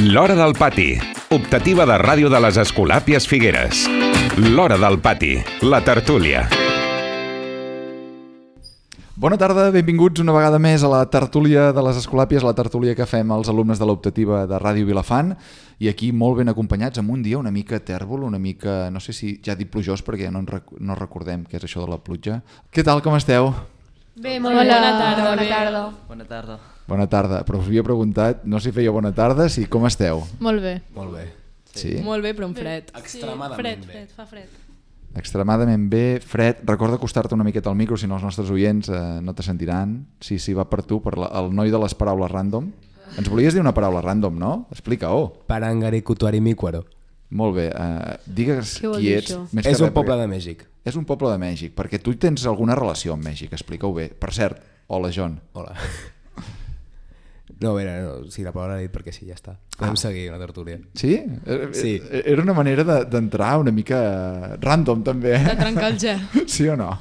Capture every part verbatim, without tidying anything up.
L'Hora del Pati, optativa de ràdio de les Escolàpies Figueres. L'Hora del Pati, la tertúlia. Bona tarda, benvinguts una vegada més a la tertúlia de les Escolàpies, la tertúlia que fem els alumnes de l'optativa de Ràdio Vilafant, i aquí molt ben acompanyats amb un dia una mica tèrbol, una mica, no sé si ja dic plujós perquè ja no, rec no recordem què és això de la pluja. Què tal, com esteu? Bé, molt bé. Bona tarda. Bona tarda. Bona tarda. Bona tarda, però us havia preguntat, no si feia bona tarda, si com esteu? Molt bé. Molt bé. Sí? Molt bé, però amb fred. Extremadament fred, bé. Fred, fa fred. Extremadament bé, fred. Recorda acostar-te una miqueta al micro, si no els nostres oients eh, no te sentiran. Sí, sí, va per tu, per la, el noi de les paraules random. Ens volies dir una paraula random, no? Explica-ho. Parangarikutuarimícuaro. Molt bé, eh, digues Què vol qui dir ets. això? Més És que un res, poble perquè- de Mèxic. És un poble de Mèxic, perquè tu tens alguna relació amb Mèxic, explica-ho bé. Per cert, hola John. Hola. No, a veure, no, sí, la paraula l'he dit perquè sí, ja està. Podem Ah. seguir la tertúlia. Sí? Eh, Sí. eh, Era una manera de- d'entrar una mica random també, De eh? trencar el gel. Sí o no?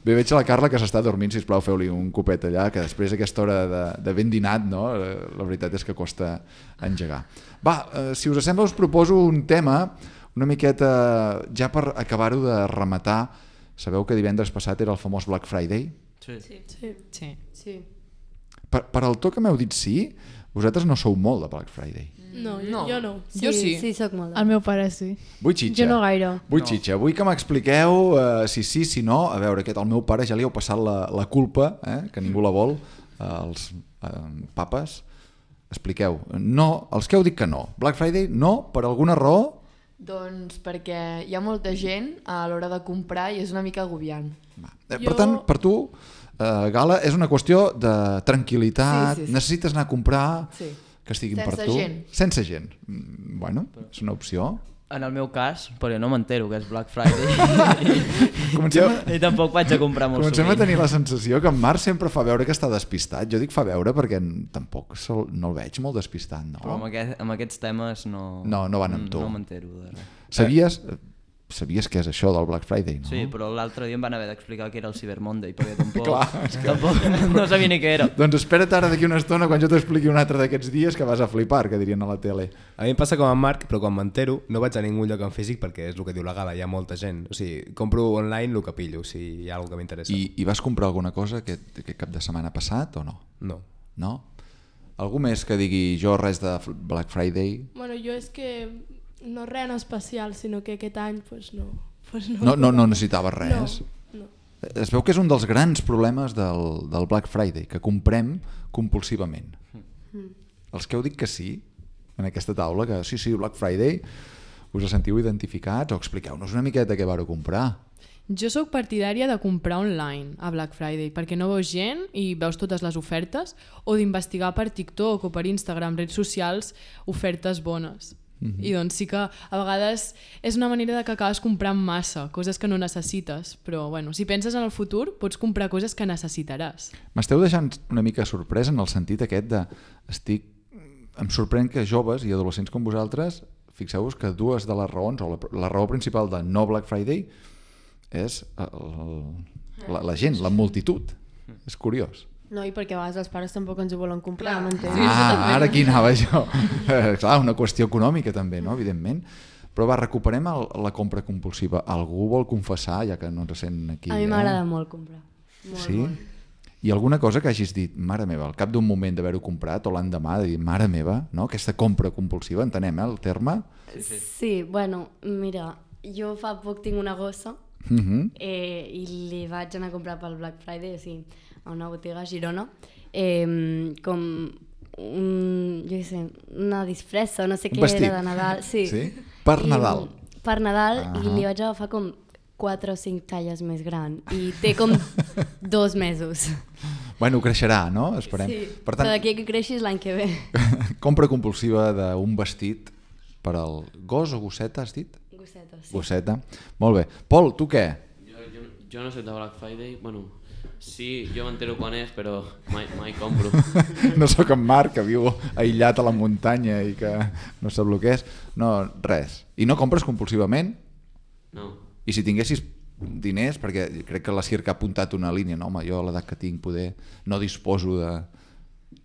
Bé, veig a la Carla que s'està dormint, sisplau, feu-li un copet allà, que després d'aquesta hora de, de ben dinat, no? Eh, la veritat és que costa engegar. Va, eh, si us sembla us proposo un tema una miqueta, ja per acabar-ho de rematar. Sabeu que divendres passat era el famós Black Friday? Sí. Sí. Sí. sí. Per, per al to que m'heu dit sí, vosaltres no sou molt de Black Friday. No, jo No. no. Jo no. Jo sí. Sí, soc molt. El meu pare sí. Vull xitxa. Jo no gaire. Vull no. xitxa. Vull que m'expliqueu uh, si sí, si no. A veure, aquest, al meu pare ja li heu passat la, la culpa, eh, que ningú la vol, uh, els uh, papes. Expliqueu. No, els que heu dit que no. Black Friday no, per alguna raó. Doncs perquè hi ha molta gent a l'hora de comprar i és una mica agobiant. Va. Eh, Jo- Per tant, per tu, uh, Gala, és una qüestió de tranquil·litat, Sí, sí, sí. necessites anar a comprar, Sí. que estiguin Sense per tu. gent. Sense gent. Mm, Bueno, és una opció. En el meu cas, perquè no m'entero que és Black Friday Comencem a... i tampoc vaig a comprar molt Comencem a sovint. tenir la sensació que en Marc sempre fa veure que està despistat. Jo dic fa veure perquè n- tampoc sol, no el veig molt despistat, no? Però amb, aquest, amb aquests temes no... No, no van amb tu. No m'entero de res. Sabies, sabies què és això del Black Friday, no? Sí, però l'altre dia em van haver d'explicar que era el Cyber Monday, perquè tampoc, Clar, és que- tampoc no sabia ni què era. Doncs espera't ara d'aquí una estona quan jo t'expliqui un altre d'aquests dies que vas a flipar, que dirien a la tele. A mi em passa com a Marc, però quan m'entero no vaig a ningú lloc en físic perquè és el que diu la Gala, hi ha molta gent. O sigui, compro online el que pillo, si hi ha alguna que m'interessa. I, I vas comprar alguna cosa aquest, aquest cap de setmana passat o no? No. No? Algú més que digui jo res de F- Black Friday? Bueno, jo és que no res en especial, sinó que aquest any pues no, pues no. No, no, no necessitaves res? No, no. Es veu que és un dels grans problemes del, del Black Friday, que comprem compulsivament. Mm. Els que heu dit que sí, en aquesta taula, que sí, sí, Black Friday, us sentiu identificats o expliqueu-nos una miqueta què vareu comprar. Jo sóc partidària de comprar online a Black Friday perquè no veus gent i veus totes les ofertes, o d'investigar per TikTok o per Instagram, redes socials, ofertes bones. Mm-hmm. I doncs sí que a vegades és una manera de que acabes comprant massa, coses que no necessites, però bueno, si penses en el futur pots comprar coses que necessitaràs. M'esteu deixant una mica sorprès en el sentit aquest de... Estic... Em sorprèn que joves i adolescents com vosaltres, fixeu-vos que dues de les raons, o la, la raó principal de no Black Friday és el, la, la gent, la multitud. És curiós. No, i perquè a vegades els pares tampoc ens ho volen comprar, m'entens? Ah, ara aquí anava jo. Eh, clar, una qüestió econòmica també, no? Evidentment. Però va, recuperem el, la compra compulsiva. Algú vol confessar, ja que no ens sent aquí? A mi eh? m'agrada molt comprar. Molt, Sí? molt. I alguna cosa que hagis dit, mare meva, al cap d'un moment d'haver-ho comprat, o l'endemà de dir, mare meva, no? Aquesta compra compulsiva, entenem, eh, el terme? Sí, bueno, mira, jo fa poc tinc una gossa Uh -huh. eh, i li vaig anar a comprar pel Black Friday, o sigui, a una botiga a Girona, eh, com un, jo què sé, una disfressa, no sé Un què vestit. era de Nadal. Sí, Sí? Per I, Nadal. Per Nadal, Ahà. i li vaig agafar com quatre o cinc talles més gran i té com dos mesos. Bueno, creixerà, no? Esperem. Sí, Per però tant, d'aquí que creixis l'any que ve. compra compulsiva d'un vestit per al gos o gosseta, has dit? Gosseta, sí. Gosseta. Molt bé. Pol, tu què? Jo, jo, jo no soc de Black Friday, bueno, sí, jo m'entero quan és, però mai, mai compro. No sóc en Marc, que viu aïllat a la muntanya i que no sap el que és. No, res. I no compres compulsivament? No. I si tinguessis diners, perquè crec que la Circa ha apuntat una línia, no? Home, jo a l'edat que tinc poder no disposo de,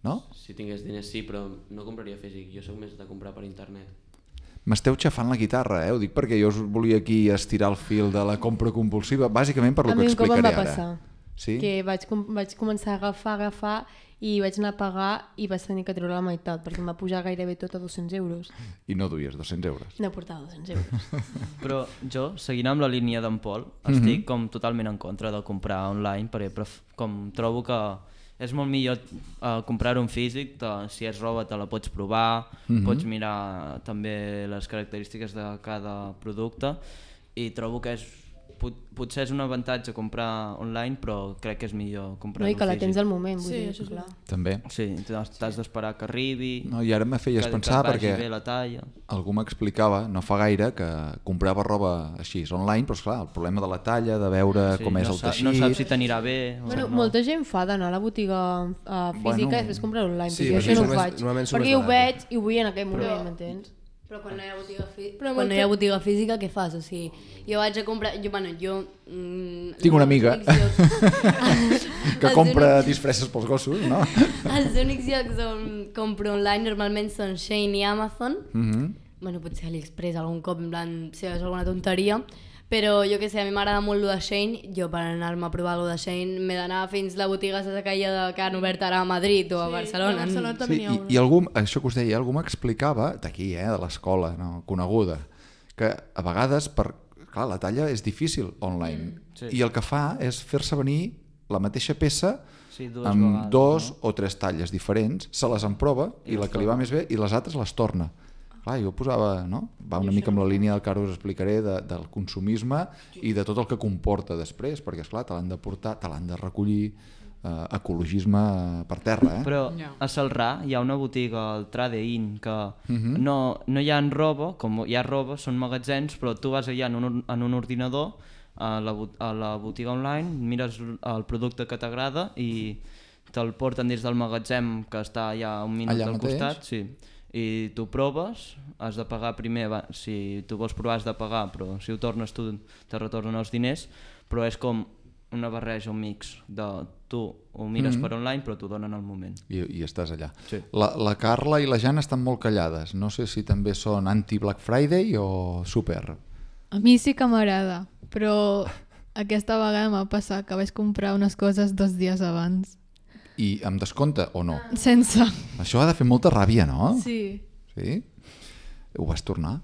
no? Si tingués diners sí, però no compraria físic. Jo sóc més de comprar per internet. M'esteu xafant la guitarra, eh? Ho dic perquè jo us volia aquí estirar el fil de la compra compulsiva, bàsicament per lo A que mi un cop em explicaré va ara. passar. Sí? Que vaig, com- vaig començar a agafar, agafar i vaig anar a pagar i vaig tenir que treure la meitat perquè em va pujar gairebé tot a dos-cents euros. I no duies dos-cents euros. No portava dos-cents euros. Però jo, seguint amb la línia d'en Pol, estic com totalment en contra de comprar online, perquè pref- com trobo que és molt millor uh, comprar-ho en físic, te, si és roba te la pots provar, Mhm. pots mirar també les característiques de cada producte i trobo que és, pot, potser és un avantatge comprar online, però crec que és millor No, comprar-ho I en que la físic. tens al moment, vull Sí, dir, això és clar. També. Sí, t'has t'has d'esperar que arribi, No, i ara me feies que, pensar que et vagi perquè bé la talla. algú m'explicava, no fa gaire, que comprava roba així, online, però esclar, el problema de la talla, de veure Sí, com és no el sa- teixit... No saps si t'anirà bé o Bueno, no. molta gent fa d'anar a la botiga uh, física Bueno, i després comprar online, sí, però jo perquè això no ho surt més- faig, normalment surt perquè més ho barat. veig i ho vull en aquell moment, m'entens? Però quan no hi ha botiga, fi... Però quan no molta- hi ha botiga física, què fas? O sigui, jo vaig a comprar... Jo, bueno, jo... Mm, Tinc una els amiga únics llocs- que els compra únics- disfresses pels gossos, no? Els únics llocs on compro online normalment són Shein i Amazon. Mhm. Bueno, potser AliExpress algun cop, en plan, si és alguna tonteria. Però jo que sé, a mi m'agrada molt lo de Shein. Jo per anar-me a provar lo de Shein m'he d'anar fins la botiga aquella que han obert ara a Madrid o a Barcelona. A Barcelona també Sí, n'hi ha i, una. i algú, això que us deia, algú m'explicava, d'aquí, eh, de l'escola, no, coneguda, que a vegades, per, clar, la talla és difícil online, sí. i el que fa és fer-se venir la mateixa peça Sí, dues amb vegades, dos no? o tres talles diferents, se les emprova i, I la les que li va torna. més bé i les altres les torna. Clar, jo posava, no? Va una mica amb la línia del que ara us explicaré de, del consumisme i de tot el que comporta després, perquè esclar, te l'han de portar, te l'han de recollir, eh, ecologisme eh, per terra, eh? Però Ja. a Celrà hi ha una botiga, el Trade In, que Mhm. no, no hi ha roba, com hi ha roba, són magatzems, però tu vas allà en un, en un ordinador, a la, bot- a la botiga online, mires el producte que t'agrada i te'l porten des del magatzem que està allà un minut Allà al mateix? costat, sí. I tu proves, has de pagar primer, va, si tu vols provar has de pagar, però si ho tornes tu te retornen els diners, però és com una barreja, un mix de tu ho mires Mhm. per online però t'ho donen al moment. I, i estàs allà. Sí. La, la Carla i la Jana estan molt callades. No sé si també són anti-Black Friday o super. A mi sí que m'agrada, però aquesta vegada m'ha passat que vaig comprar unes coses dos dies abans. I amb descompte o no? Sense. Això ha de fer molta ràbia, no? Sí. Sí? Ho vas tornar?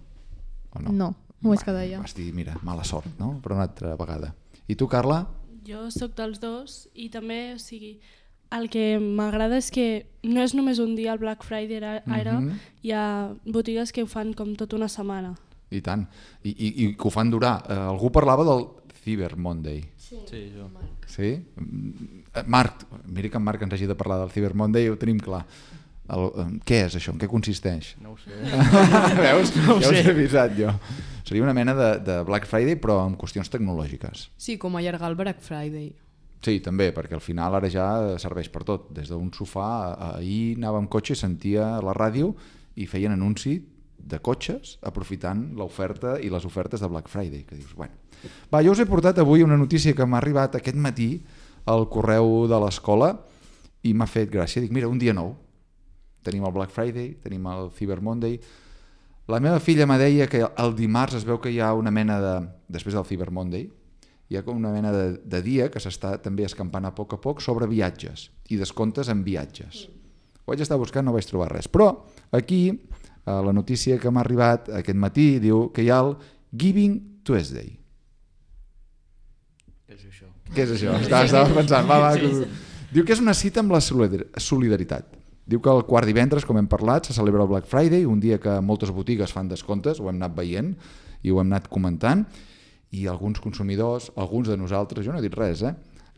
O no? No, m'ho vaig quedar allà. Vas dir, mira, mala sort, no? Per una altra vegada. I tu, Carla? Jo sóc dels dos i també, o sigui, el que m'agrada és que no és només un dia el Black Friday, ara, ara Mhm. hi ha botigues que ho fan com tota una setmana. I tant. I, i, i que ho fan durar. Eh, algú parlava del Cyber Monday. Sí, Sí, jo. Sí? Mm, eh, Marc, mira que en Marc ens hagi de parlar del Cyber Monday, ho tenim clar. El, eh, què és això? En què consisteix? No ho sé. Veus? No ho ja us sé. he avisat jo. Seria una mena de, de Black Friday però amb qüestions tecnològiques. Sí, com allargar el Black Friday. Sí, també, perquè al final ara ja serveix per tot. Des d'un sofà, a- ahir anava amb cotxe i sentia la ràdio i feien anunci de cotxes aprofitant l'oferta i les ofertes de Black Friday, que dius, bueno. Va, jo us he portat avui una notícia que m'ha arribat aquest matí al correu de l'escola i m'ha fet gràcia. Dic, mira, un dia nou. Tenim el Black Friday, tenim el Cyber Monday. La meva filla me deia que el dimarts es veu que hi ha una mena de... Després del Cyber Monday, hi ha com una mena de, de dia que s'està també escampant a poc a poc sobre viatges i descomptes en viatges. Ho vaig estar buscant, no vaig trobar res. Però aquí, a la notícia que m'ha arribat aquest matí, diu que hi ha el Giving Tuesday. Què és això? Què és això? Estava, estava pensant. Va, va, que... Diu que és una cita amb la solidar- solidaritat. Diu que el quart divendres, com hem parlat, se celebra el Black Friday, un dia que moltes botigues fan descomptes, ho hem anat veient i ho hem anat comentant, i alguns consumidors, alguns de nosaltres, jo no he dit res, eh?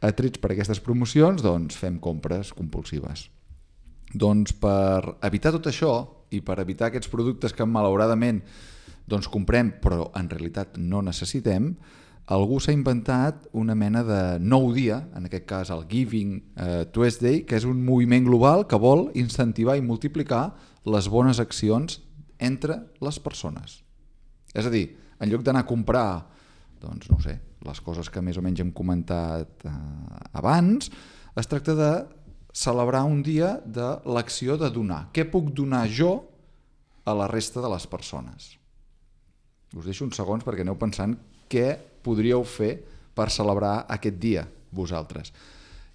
atrets per aquestes promocions, doncs fem compres compulsives. Doncs per evitar tot això i per evitar aquests productes que malauradament doncs comprem però en realitat no necessitem, algú s'ha inventat una mena de nou dia, en aquest cas el Giving eh, Tuesday, que és un moviment global que vol incentivar i multiplicar les bones accions entre les persones. És a dir, en lloc d'anar a comprar, doncs no ho sé, les coses que més o menys hem comentat eh, abans, es tracta de celebrar un dia de l'acció de donar. Què puc donar jo a la resta de les persones? Us deixo uns segons perquè aneu pensant què podríeu fer per celebrar aquest dia, vosaltres.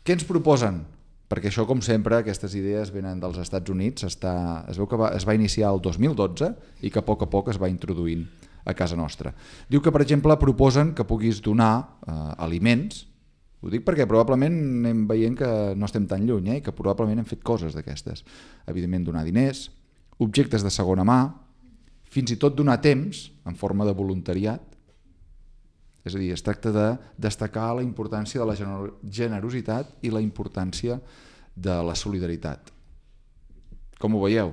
Què ens proposen? Perquè això, com sempre, aquestes idees venen dels Estats Units. Està, es veu que va, es va iniciar el dos mil dotze i que a poc a poc es va introduint a casa nostra. Diu que, per exemple, proposen que puguis donar eh, aliments. Ho dic perquè probablement anem veient que no estem tan lluny, eh, i que probablement hem fet coses d'aquestes. Evidentment, donar diners, objectes de segona mà, fins i tot donar temps en forma de voluntariat. És a dir, es tracta de destacar la importància de la generositat i la importància de la solidaritat. Com ho veieu?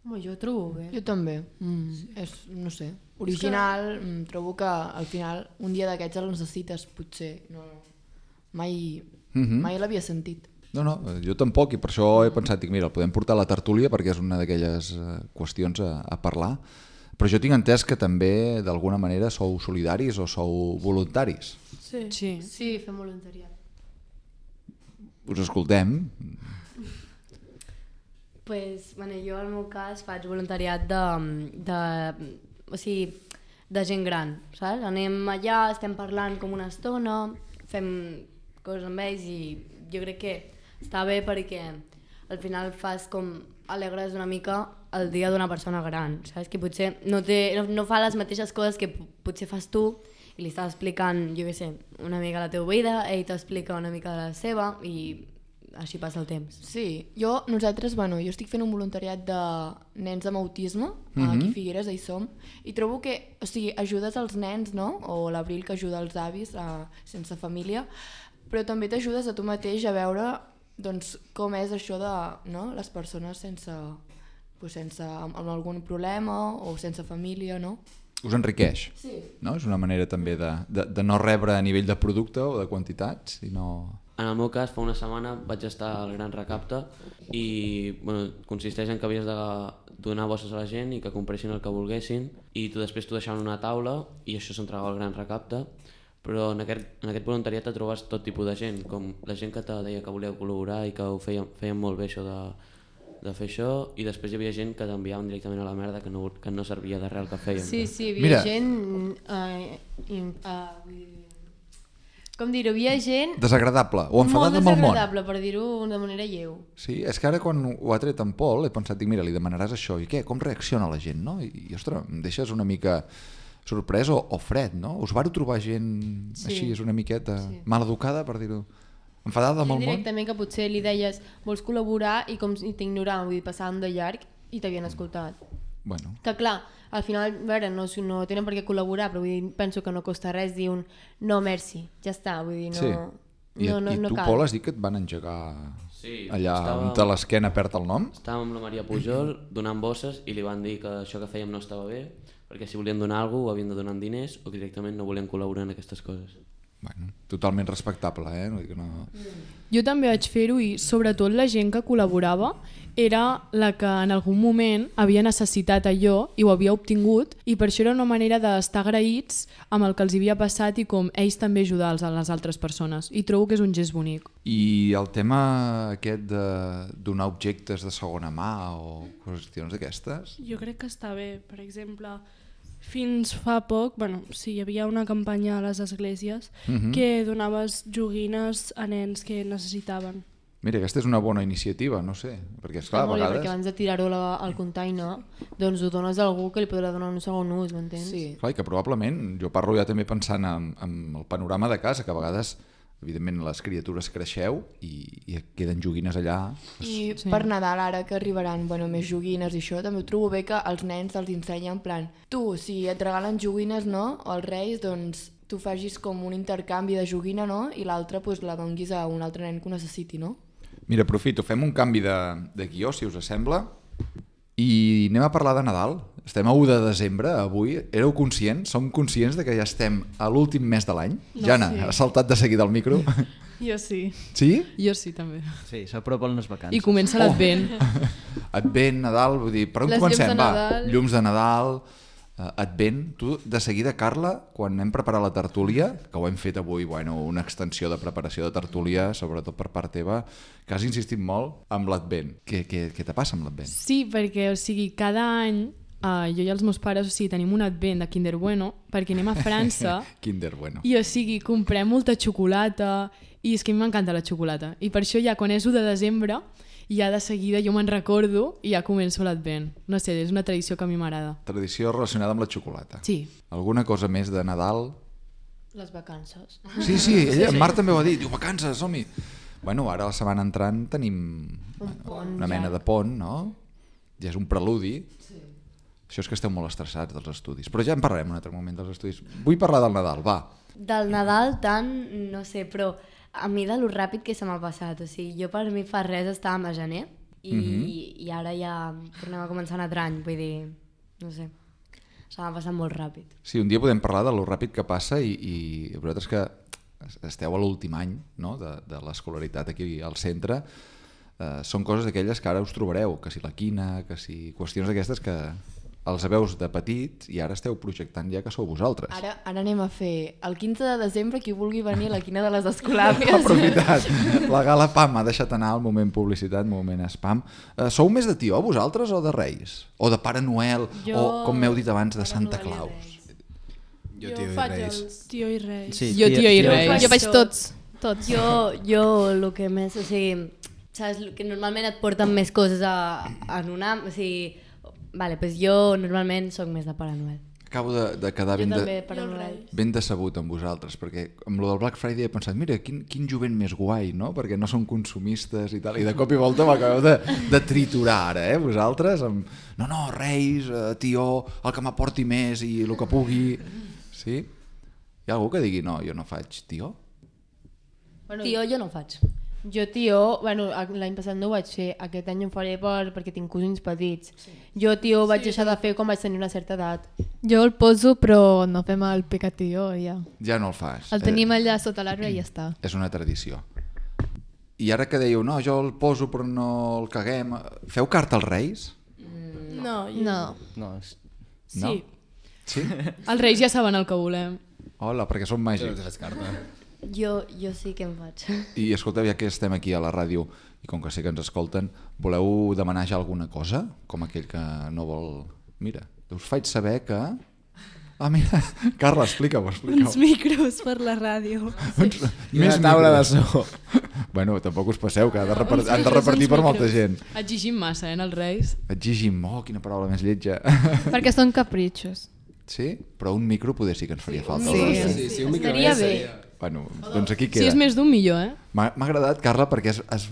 Home, jo ho trobo bé. Jo també. Mm, és, no sé, original. Mm, trobo que al final un dia d'aquests el necessites, potser. No, mai mm-hmm. mai l'havia sentit. No, no, jo tampoc, i per això he pensat, dic, mira, el podem portar a la tertúlia perquè és una d'aquelles qüestions a, a parlar. Però jo tinc entès que també, d'alguna manera, sou solidaris o sou voluntaris. Sí, sí. sí fem voluntariat. Us escoltem. Pues, bueno, jo, al meu cas, faig voluntariat de, de, o sigui, de gent gran, saps? Anem allà, estem parlant com una estona, fem coses amb ells i jo crec que està bé perquè al final fas com alegres una mica el dia d'una persona gran, saps? Que potser no, té, no, no fa les mateixes coses que potser fas tu i li estàs explicant, jo què sé, una mica la teva vida, ell t'explica una mica de la seva i així passa el temps. Sí, jo, nosaltres, bueno, jo estic fent un voluntariat de nens amb autisme, mm-hmm. aquí a Figueres, hi som, i trobo que, o sigui, ajudes als nens, no? O l'Abril que ajuda els avis a, sense família, però també t'ajudes a tu mateix a veure doncs, com és això de no? Les persones sense, pues, sense amb, amb algun problema o sense família, no? Us enriqueix, sí. No? És una manera també de, de, de no rebre a nivell de producte o de quantitats, sinó... En el meu cas, fa una setmana vaig estar al Gran Recapte i bueno, consisteix en que havies de donar bosses a la gent i que compressin el que volguessin i tu després t'ho deixaven una taula i això s'entregava al Gran Recapte. Però en aquest, en aquest voluntariat et trobes tot tipus de gent, com la gent que te deia que voleu col·laborar i que ho feien, feien molt bé això de, de fer això, i després hi havia gent que t'enviaven directament a la merda, que no, que no servia de res el que fèiem. Sí, sí, hi havia Mira. gent... Uh, in, uh, com dir-ho, hi havia gent... Desagradable, o enfadada amb el món. Molt desagradable, per dir-ho de manera lleu. Sí, és que ara quan ho ha tret en Pol he pensat, dic, mira, li demanaràs això, i què? Com reacciona la gent, no? I, i ostres, em deixes una mica... sorprès o, o fred, no? Us vau trobar gent sí. així, és una miqueta sí. maleducada, per dir-ho, enfadada amb el món? Directament que potser li deies vols col·laborar i com si t'ignoraven, vull dir, passaven de llarg i t'havien escoltat. Bueno. Que clar, al final, a veure, no, no tenen per què col·laborar, però vull dir, penso que no costa res dir un no, merci, ja està, vull dir, no... Sí. I, no, no, i no tu, cal. Pol, has dit que et van engegar sí, allà estava... on te l'esquena perd el nom? Estàvem amb la Maria Pujol donant bosses i li van dir que això que fèiem no estava bé, perquè si volien donar alguna cosa ho havien de donar en diners o que directament no volien col·laborar en aquestes coses. Bueno, totalment respectable, eh? No, no... Jo també vaig fer-ho i sobretot la gent que col·laborava era la que en algun moment havia necessitat allò i ho havia obtingut i per això era una manera d'estar agraïts amb el que els havia passat i com ells també ajudar a les altres persones i trobo que és un gest bonic. I el tema aquest de donar objectes de segona mà o qüestions d'aquestes? Jo crec que està bé, per exemple... Fins fa poc, bueno, sí, hi havia una campanya a les esglésies uh-huh. que donaves joguines a nens que necessitaven. Mira, aquesta és una bona iniciativa, no sé, perquè esclar, a vegades... Perquè abans de tirar-ho al container, doncs ho dones a algú que li podrà donar un segon ús, m'entens? Sí. Clar, i que probablement, jo parlo ja també pensant en, en el panorama de casa, que a vegades... Evidentment les criatures creixeu i, i queden joguines allà. I sí. Per Nadal ara que arribaran bueno, més joguines i això, també ho trobo bé que els nens els ensenyen en plan tu, si et regalen joguines, no? O els reis, doncs tu facis com un intercanvi de joguina, no? I l'altra pues, la donguis a un altre nen que ho necessiti, no? Mira, aprofito, fem un canvi de, de guió, si us sembla, i anem a parlar de Nadal. Estem a u de desembre, avui. Éreu conscients? Som conscients de que ja estem a l'últim mes de l'any? No, Jana, sí. has saltat de seguida al micro? Jo sí. Sí? Jo sí, també. Sí, s'apropen les vacances. I comença l'Advent. Oh. Advent, Nadal, vull dir, per on Les comencem? llums de Va, Nadal. llums de Nadal, uh, Advent. Tu, de seguida, Carla, quan hem preparat la tertúlia, que ho hem fet avui, bueno, una extensió de preparació de tertúlia, sobretot per part teva, que has insistit molt amb l'Advent. Què, què, què te passa amb l'Advent? Sí, perquè, o sigui, cada any uh, jo i els meus pares, o sigui, tenim un Advent de Kinder Bueno, perquè anem a França Kinder Bueno. i, o sigui, comprem molta xocolata i és que a mi m'encanta la xocolata. I per això ja, quan és u de desembre, ja de seguida jo me'n recordo i ja començo l'Advent. No sé, és una tradició que a mi m'agrada. Tradició relacionada amb la xocolata. Sí. Alguna cosa més de Nadal? Les vacances. Sí, sí, ella, en Marc també ho ha dit. Diu, vacances, som-hi. Bueno, ara la setmana entrant tenim Un pont, una mena ja. de pont, no? Ja és un preludi. Sí. Això és que esteu molt estressats dels estudis. Però ja en parlarem un altre moment dels estudis. Vull parlar del Nadal, va. Del Nadal tant, no sé, però a mi de lo ràpid que se m'ha passat, o sigui, jo per mi fa res estàvem a gener i, Mhm. i ara ja tornem a començar un altre any, vull dir, no sé, se m'ha passat molt ràpid. Sí, un dia podem parlar de lo ràpid que passa i, i vosaltres que esteu a l'últim any, no?, de, de l'escolaritat aquí al centre, eh, són coses d'aquelles que ara us trobareu, que si la quina, que si qüestions d'aquestes que els veus de petits i ara esteu projectant ja que sou vosaltres. Ara, ara anem a fer el quinze de desembre qui vulgui venir a la quina de les Escolàpies. Aprofitat. La gala P A M ha deixat anar el moment publicitat, moment spam. Uh, sou més de tió vosaltres o de Reis? O de Pare Noel? Jo- O, com m'heu dit abans, de Pare Santa Noel i Claus? Jo, Jo, tio i faig Reis. els tio i reis. Sí, Jo, tio i reis. Jo faig tots, tots. Jo, jo el que més, o sigui, saps, que normalment et porten més coses a, en una, o sigui, vale, pues jo normalment sóc més de Pare Noel. Acabo de, de quedar Jo ben, també, de, Pare Noel. ben decebut amb vosaltres, perquè amb lo del Black Friday he pensat, mira, quin, quin jovent més guai, no? Perquè no són consumistes i tal, i de cop i volta m'acabeu de, de triturar ara, eh, vosaltres, amb, no, no, Reis, eh, tió, el que m'aporti més i el que pugui, sí? Hi ha algú que digui, no, jo no faig tió? Bueno, Tio, jo no ho faig. Jo, tio, bueno, l'any passat no ho vaig fer, aquest any ho faré per, perquè tinc cosins petits. Sí. Jo, tio, ho vaig deixar de fer quan vaig tenir una certa edat. Jo el poso, però no fem el pecatillo, ja. Ja no el fas. El tenim allà sota l'arbre i ja està. És una tradició. I ara que dèieu, no, jo el poso però no el caguem, feu carta als Reis? No, jo... No. No, és... Sí. No? Sí? Els reis ja saben el que volem. Hola, perquè som Jo no màgics. te fas carta. Jo, jo sí que en faig. I escolteu, ja que estem aquí a la ràdio i com que sé que ens escolten, voleu demanar ja alguna cosa? Com aquell que no vol... Mira, us faig saber que... Ah, mira, Carla, explica-ho, explica-ho. Uns micros per la ràdio. Uns... I una taula de so. Bueno, tampoc us passeu, que ha de repartir, han de repartir per molta gent. Exigim massa, eh, en els reis. Exigim, oh, quina paraula més lletja. Perquè són capritxos. Sí? Però un micro poder sí que ens faria falta. Sí. als Reis. Sí, sí, un micro Estaria més bé. seria... Bueno, doncs aquí Si queda. és més d'un, millor, eh? M'ha m'ha agradat, Carla, perquè has, has,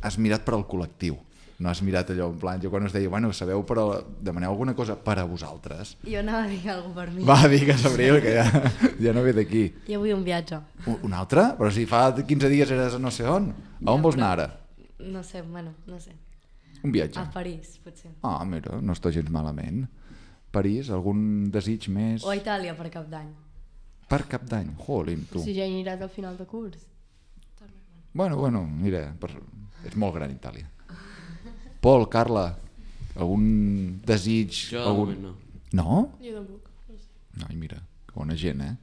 has mirat per al col·lectiu. No has mirat allò en plan, jo quan us deia, bueno, sabeu, però demaneu alguna cosa per a vosaltres. Jo anava a dir alguna per mi. Va, digues, Abril, que ja, ja no ve d'aquí. Jo vull un viatge. Un, un altre? Però si fa quinze dies eres a no sé on. A on vols anar ara? No sé, bueno, no sé. Un viatge. A París, potser. Ah, mira, no està gens malament. París, algun desig més? O a Itàlia per cap d'any. Per cap d'any, jolín, tu. Si ja hi aniràs al final de curs. Bueno, bueno, mira, per... és molt gran Itàlia. Pol, Carla, algun desig? Jo de algun... moment no. No? Jo tampoc. Ai, mira, que bona gent, eh?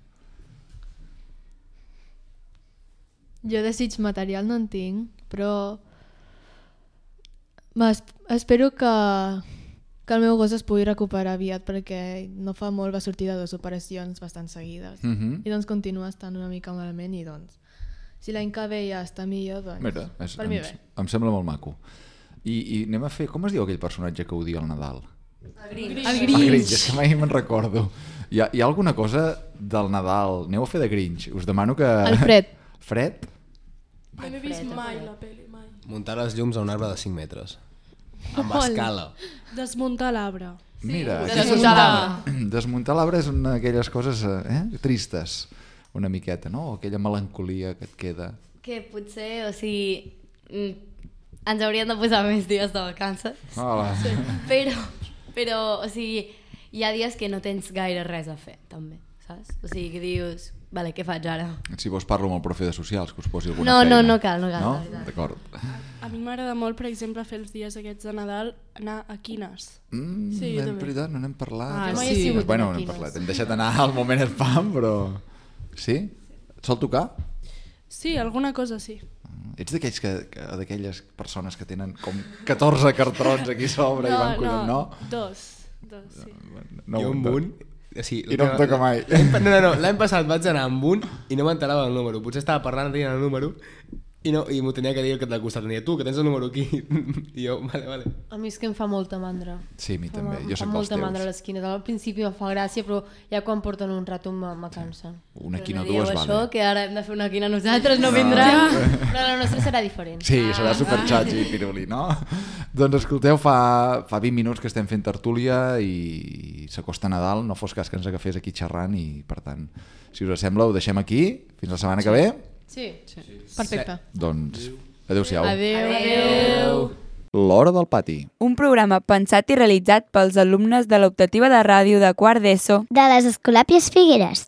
Jo desig material no en tinc, però m'es- espero que, que el meu gos es pugui recuperar aviat perquè no fa molt va sortir de dues operacions bastant seguides Mhm. i doncs continua estant una mica malament i doncs si l'any que ve ja està millor doncs Mira, és, per mi em, bé. em sembla molt maco. I, I anem a fer... Com es diu aquell personatge que odia el Nadal? El Grinch. El El Grinch. Grinch, és que mai me'n recordo. Hi ha, hi ha alguna cosa del Nadal? Aneu a fer de Grinch. Us demano que... El Fred. Fred? No m'he vist mai la pel·li, mai. Muntar les llums a un arbre de cinc metres. Amb Hola. escala. Desmuntar l'arbre. Mira, Sí, aquesta és desmuntar una... desmuntar l'arbre és una d'aquelles coses eh, tristes, una miqueta, no? Aquella melancolia que et queda. Que potser, o sigui, mm, ens haurien de posar més dies de vacances, Hola. Sí. però, però, o sigui, hi ha dies que no tens gaire res a fer, també, saps? O sigui, que dius, vale, què faig ara? Si vols parlo amb el profe de socials, que us posi alguna No, feina. no, no cal, no cal, No? la veritat. D'acord. A mi m'agrada molt, per exemple, fer els dies aquests de Nadal, anar a quines. Mm, Sí, jo ben també. veritat, no n'hem parlat. Ah, però- mai he sigut bueno, una no n'hem quines. parlat. Hem deixat anar al moment spam, però... Sí? Et sol tocar? Sí, alguna cosa sí. Ets d'aquells que, que, d'aquelles persones que tenen com catorze cartrons aquí a sobre i van collons, no? dos, dos, sí. No, jo amb no. un... O sigui, I no em toca mai. L'any pa- No, no, no, l'any passat vaig anar amb un i no m'enterava del número. Potser estava parlant, tenint el número i, no, i m'ho tenia que dir el que t'ha costat. Tenia tu, que tens el número aquí. I jo, vale, vale. A mi és que em fa molta mandra. Sí, a mi Fa- també. Em Jo fa sé que els molta teus. mandra a l'esquina. Al principi em fa gràcia, però ja quan porten un rato me, me cansa. Una quina o Dieu dues, això, vale. que ara hem de fer una quina nosaltres, no vindrà. Però la nostra serà diferent. Sí, serà superxatxi i piruli, no? Doncs escolteu, fa, fa vint minuts que estem fent tertúlia i s'acosta Nadal, no fos cas que ens agafés aquí xerrant i, per tant, si us sembla, ho deixem aquí. Fins la setmana que ve. Sí. Sí. Perfecte. Doncs, adéu-siau. Adéu. Adéu. L'Hora del Pati. Un programa pensat i realitzat pels alumnes de l'optativa de ràdio de quart d'ESO de les Escolàpies Figueres.